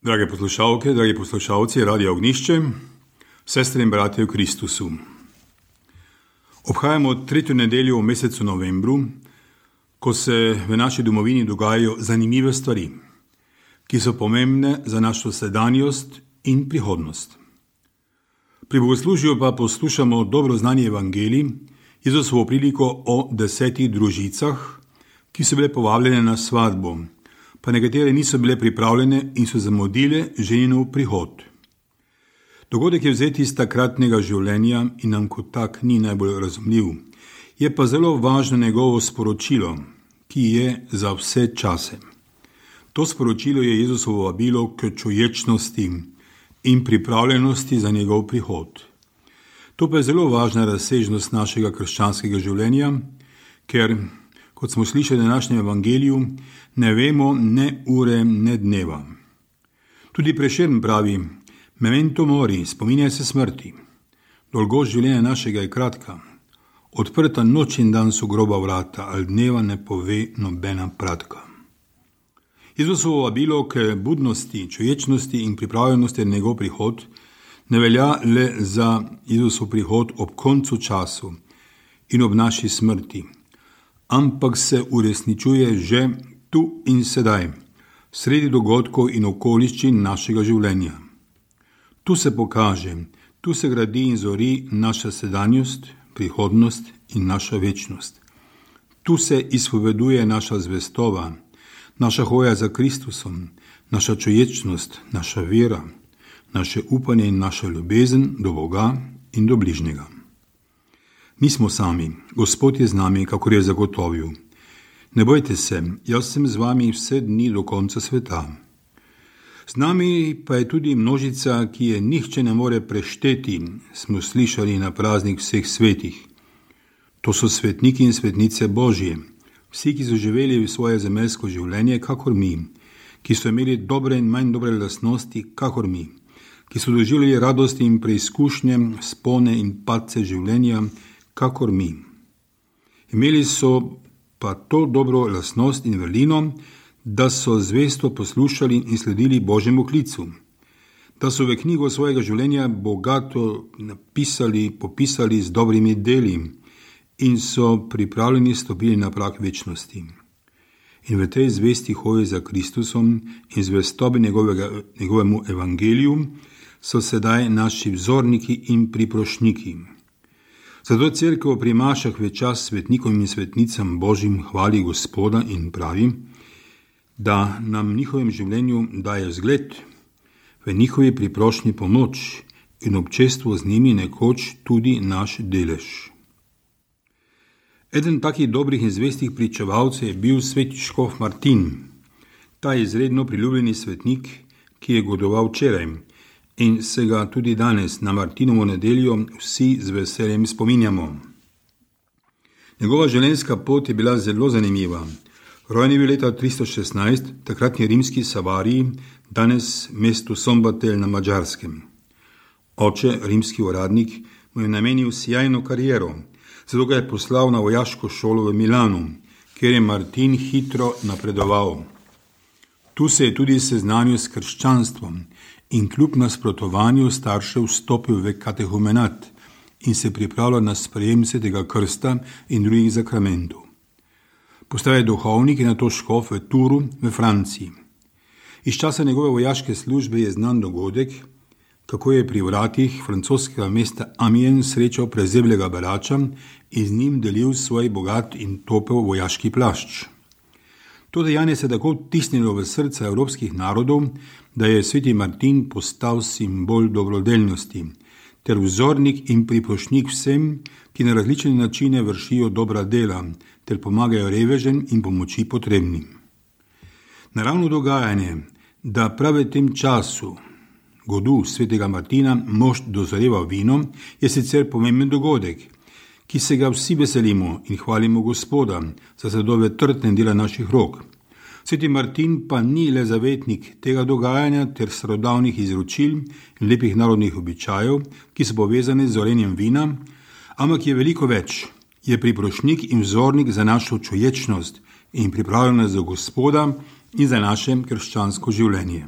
Drage poslušalke, dragi poslušalci Radia Ognišče, sestre in bratje v Kristusu. Obhajamo tretjo nedeljo v mesecu novembru, ko se v naši domovini dogajajo zanimive stvari, ki so pomembne za našo sedanjost in prihodnost. Pri bogoslužju pa poslušamo dobro znani evangelij, Jezusovo priliko o 10 družicah, ki so bile povabljene na svadbo, pa nekatere niso bile pripravljene in so zamudile ženinov prihod. Dogodek je vzet iz takratnega življenja in nam kot tak ni najbolj razumljiv. Je pa zelo važno njegovo sporočilo, ki je za vse čase. To sporočilo je Jezusovo vabilo k čuječnosti in pripravljenosti za njegov prihod. To pa je zelo važna razsežnost našega krščanskega življenja, ker, kot smo slišali v današnjem evangeliju, ne vemo ne ure, ne dneva. Tudi Prešern pravi: memento mori, spominjaj se smrti. Dolgost življenja našega je kratka. Odprta noč in dan so groba vrata, ali dneva ne pove nobena pratka. Jezusovo vabilo k budnosti, čuječnosti in pripravljenosti na njegov prihod ne velja le za Jezusov prihod ob koncu času in ob naši smrti, ampak se uresničuje že tu in sedaj, sredi dogodkov in okoliščin našega življenja. Tu se pokaže, tu se gradi in zori naša sedanjost, prihodnost in naša večnost. Tu se izpoveduje naša zvestova, naša hoja za Kristusom, naša čuječnost, naša vera, naše upanje in naša ljubezen do Boga in do bližnjega. Nismo sami, Gospod je z nami, kakor je zagotovil. Ne bojte se, jaz sem z vami vse dni do konca sveta. Z nami pa je tudi množica, ki je nihče ne more prešteti, smo slišali na praznik vseh svetih. To so svetniki in svetnice Božje, vsi, ki so živeli v svoje zemeljsko življenje, kakor mi, ki so imeli dobre in manj dobre lastnosti, kakor mi, ki so doživljali radosti in preizkušnje, spone in padce življenja, kakor mi. Imeli so pa to dobro lastnost in vrlino, da so zvesto poslušali in sledili Božjemu klicu, da so v knjigo svojega življenja bogato popisali z dobrimi deli in so pripravljeni stopili na prag večnosti. In v tej zvesti hoji za Kristusom in zvestobi njegovemu evangeliju so sedaj naši vzorniki in priprošniki. Zato cerkev pri mašah v čas svetnikom in svetnicam Božjim hvali Gospoda in pravi, da nam v njihovem življenju daje zgled, v njihovi priprošnji pomoč in občestvo z njimi nekoč tudi naš delež. Eden takih dobrih in zvestih pričevalcev je bil sveti škof Martin. Ta je izredno priljubljeni svetnik, ki je godoval včeraj in se ga tudi danes na Martinovo nedeljo vsi z veseljem spominjamo. Njegova življenjska pot je bila zelo zanimiva. Rojen je bil leta 316, takratni rimski Savariji, danes mestu Sombatel na Madžarskem. Oče, rimski uradnik, mu je namenil sjajno kariero, zato ga je poslal na vojaško šolo v Milanu, kjer je Martin hitro napredoval. Tu se je tudi seznanil s krščanstvom in kljub nasprotovanju staršev vstopil v katehumenat in se pripravljal na sprejem svetega krsta in drugih zakramentov. Postal je duhovnik in nato škof v Turu v Franciji. Iz časa njegove vojaške službe je znan dogodek, kako je pri vratih francoskega mesta Amiens srečal prezeblega berača in z njim delil svoj bogat in topel vojaški plašč. To dejanje se tako vtisnilo v srca evropskih narodov, da je sveti Martin postal simbol dobrodelnosti ter vzornik in priprošnjik vsem, ki na različne načine vršijo dobra dela ter pomagajo revežem in pomoči potrebnim. Naravno dogajanje, da prav v tem času godu svetega Martina mož dozoreva vino, je sicer pomemben dogodek, ki se ga vsi veselimo in hvalimo Gospoda za sadove trtne dela naših rok. Sveti Martin pa ni le zavetnik tega dogajanja ter starodavnih izročil in lepih narodnih običajev, ki so povezani z zorenjem vina, ampak je veliko več. Je priprošnik in vzornik za našo čuječnost in pripravljenost za Gospoda in za naše krščansko življenje.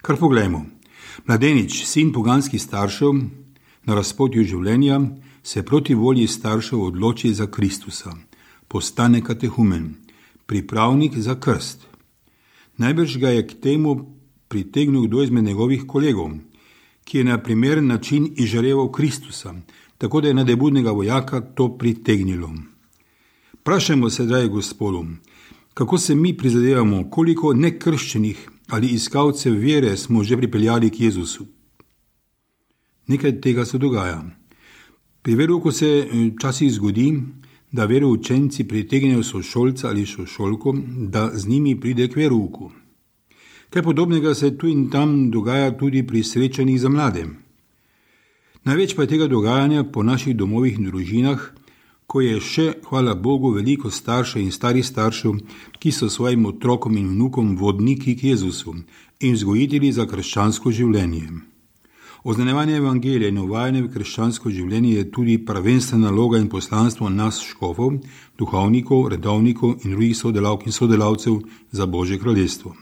Kar poglejmo. Mladenič, sin poganskih staršev, na razpotju življenja se proti volji staršev odloči za Kristusa, postane katehumen, pripravnik za krst. Najbrž ga je k temu pritegnil kdo izmed njegovih kolegov, ki je na primeren način izžareval Kristusa, tako da je nadebudnega vojaka to pritegnilo. Vprašajmo se, dragi Gospodu, kako se mi prizadevamo, koliko nekrščenih ali iskalcev vere smo že pripeljali k Jezusu. Nekaj tega se dogaja. Pri verouku se včasih zgodi, da veroučenci pritegnejo sošolca ali sošolko, da z njimi pride k verouku. Kaj podobnega se tu in tam dogaja tudi pri srečanjih za mlade. Največ pa je tega dogajanja po naših domovih in družinah, ko je še, hvala Bogu, veliko staršev in starih staršev, ki so svojim otrokom in vnukom vodniki k Jezusu in vzgojitelji za krščansko življenje. Oznanjevanje evangelija in uvajanje v krščansko življenje je tudi prvenstvena naloga in poslanstvo nas škofov, duhovnikov, redovnikov in drugih sodelavk in sodelavcev za Božje kraljestvo.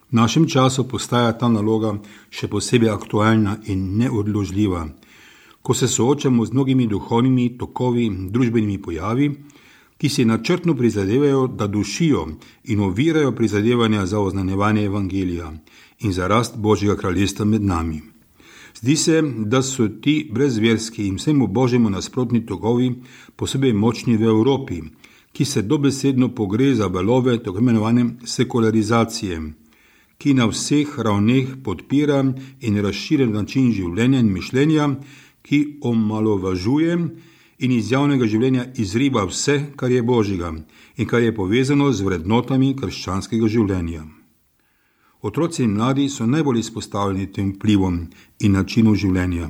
V našem času postaja ta naloga še posebej aktualna in neodložljiva, ko se soočamo z mnogimi duhovnimi tokovi in družbenimi pojavi, ki si načrtno prizadevajo, da dušijo in ovirajo prizadevanja za oznanjevanje evangelija in za rast Božjega kraljestva med nami. Zdi se, da so ti brezverski in vsemu Božjemu nasprotni tokovi posebej močni v Evropi, ki se dobesedno pogreza valove tako imenovane sekularizacije, ki na vseh ravneh podpira in razširja način življenja in mišljenja, ki omalovažuje in iz javnega življenja izriba vse, kar je Božjega in kar je povezano z vrednotami krščanskega življenja. Otroci in mladi so najbolj izpostavljeni tem vplivom in načinu življenja.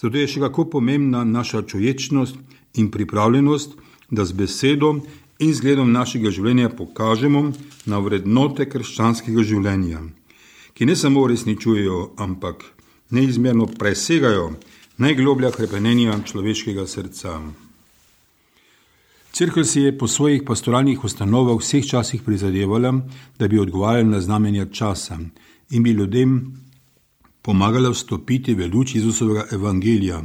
Zato je še kako pomembna naša čuječnost in pripravljenost, da z besedo in zgledom našega življenja pokažemo na vrednote krščanskega življenja, ki ne samo uresničujejo, ampak neizmerno presegajo najgloblja hrepenenja človeškega srca. Cerkev si je po svojih pastoralnih ustanovah v vseh časih prizadevala, da bi odgovarjala na znamenja časa in bi ljudem pomagala vstopiti v luč Jezusovega evangelija,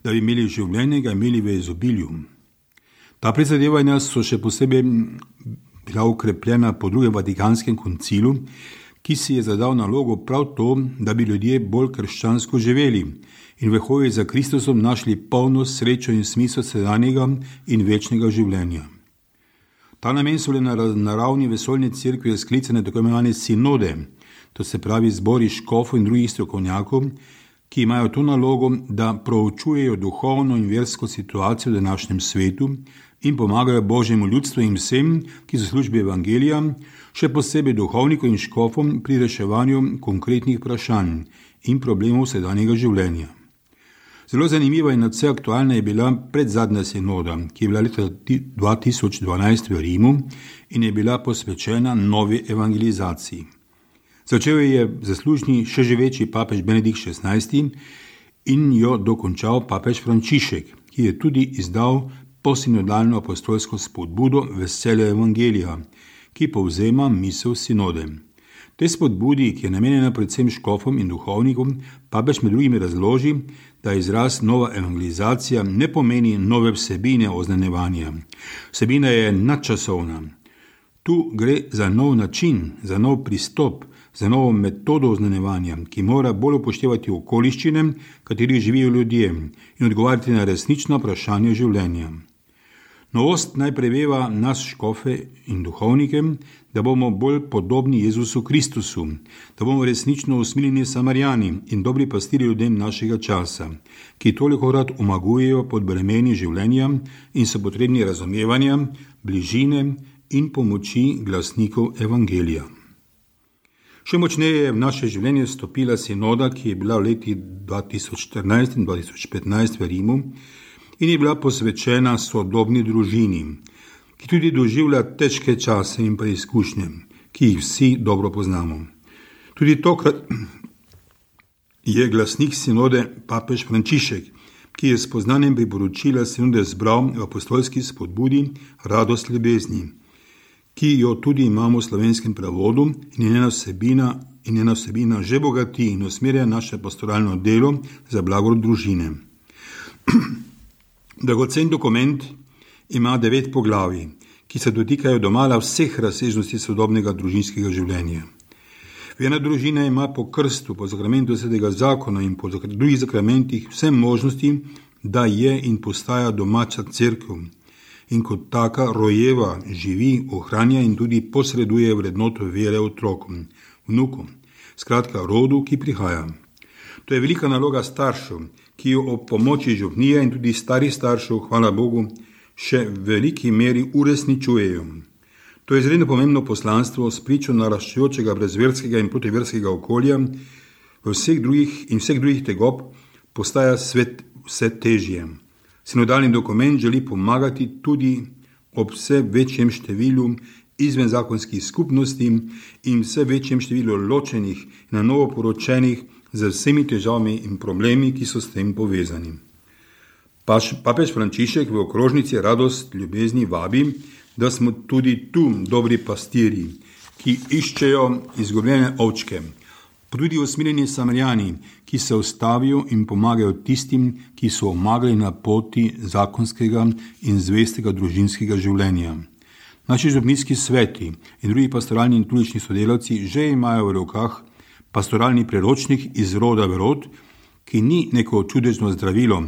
da bi imeli življenje, ga imeli v izobilju. Ta prizadevanja so še posebej bila ukrepljena po drugem Vatikanskem koncilu, ki si je zadal nalogo prav to, da bi ljudje bolj krščansko živeli in v hoji za Kristusom našli polnost, srečo in smisel sedanjega in večnega življenja. Ta namen so bile na ravni vesoljne cerkve sklicane tako imenovane sinode, to se pravi zbori škofov in drugih strokovnjakov, ki imajo to nalogo, da proučujejo duhovno in versko situacijo v današnjem svetu in pomagajo Božjemu ljudstvu in vsem, ki so v službi evangelija, še posebej duhovnikom in škofom pri reševanju konkretnih vprašanj in problemov sedanjega življenja. Zelo zanimiva in nadvse aktualna je bila predzadnja sinoda, ki je bila leta 2012 v Rimu in je bila posvečena novi evangelizaciji. Začel je zaslužni še živeči papež Benedikt XVI in jo dokončal papež Frančišek, ki je tudi izdal posinodalno apostolsko spodbudo Veselje evangelija, ki povzema misel sinode. Te spodbudi, ki je namenjena predvsem škofom in duhovnikom, papež med drugim razloži, da izraz nova evangelizacija ne pomeni nove vsebine oznanjevanja. Vsebina je nadčasovna. Tu gre za nov način, za nov pristop, za novo metodo oznanjevanja, ki mora bolj upoštevati okoliščine, katerih živijo ljudje, in odgovarjati na resnična vprašanja življenja. Novost naj preveva nas škofe in duhovnike, da bomo bolj podobni Jezusu Kristusu, da bomo resnično usmiljeni Samarijani in dobri pastiri ljudem našega časa, ki tolikokrat omagujejo pod bremeni življenja in so potrebni razumevanja, bližine in pomoči glasnikov evangelija. Še močneje je v naše življenje stopila sinoda, ki je bila v leti 2014 in 2015 v Rimu in je bila posvečena sodobni družini, ki tudi doživlja težke čase in preizkušnje, ki jih vsi dobro poznamo. Tudi tokrat je glasnik sinode papež Frančišek, ki je s poznanjem priporočila sinode zbral v apostolski spodbudi Radost ljubezni, ki jo tudi imamo v slovenskem prevodu in njena vsebina in njena vsebina že bogati in usmerja naše pastoralno delo za blagor družine. Dragocen dokument ima 9 poglavij, ki se dotikajo domala vseh razsežnosti sodobnega družinskega življenja. Verna družina ima po krstu, po zakramentu Svetega zakona in po drugih zakramentih vse možnosti, da je in postaja domača cerkev in kot taka rojeva, živi, ohranja in tudi posreduje vrednoto vere otrokom, vnukom, skratka rodu, ki prihaja. To je velika naloga staršev, ki jo ob pomoči župnije in tudi starih staršev, hvala Bogu, še v veliki meri uresničujejo. To je izredno pomembno poslanstvo s pričo naraščajočega brezverskega in protiverskega okolja, vseh drugih tegob postaja svet vse težje. Sinodalni dokument želi pomagati tudi ob vse večjem številu izvenzakonskih skupnosti in vse večjem številu ločenih in na novo poročenih z vsemi težavami in problemi, ki so s tem povezani. Papež Frančišek v okrožnici Radost ljubezni vabi, da smo tudi tu dobri pastirji, ki iščejo izgubljene ovčke, pa tudi usmiljeni Samarijani, ki se ustavijo in pomagajo tistim, ki so omagali na poti zakonskega in zvestega družinskega življenja. Naši župnijski sveti in drugi pastoralni in tulični sodelavci že imajo v rokah pastoralni priročnik iz roda v rod, ki ni neko čudežno zdravilo,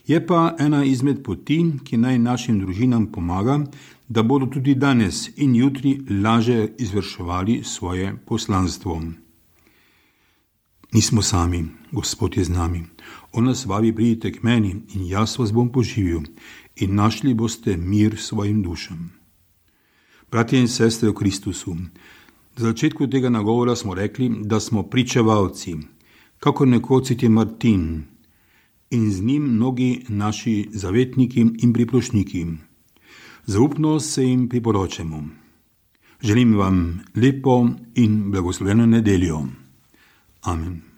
je pa ena izmed poti, ki naj našim družinam pomaga, da bodo tudi danes in jutri lažje izvrševali svoje poslanstvo. Nismo sami, Gospod je z nami. On nas vabi, pridite k meni in jaz vas bom poživil in našli boste mir svojim dušam. Bratje in sestre v Kristusu, na začetku tega nagovora smo rekli, da smo pričevalci, kako nekoč je Martin in z njim mnogi naši zavetniki in priprošniki. Zaupno se jim priporočamo. Želim vam lepo in blagoslovljeno nedeljo. Amen.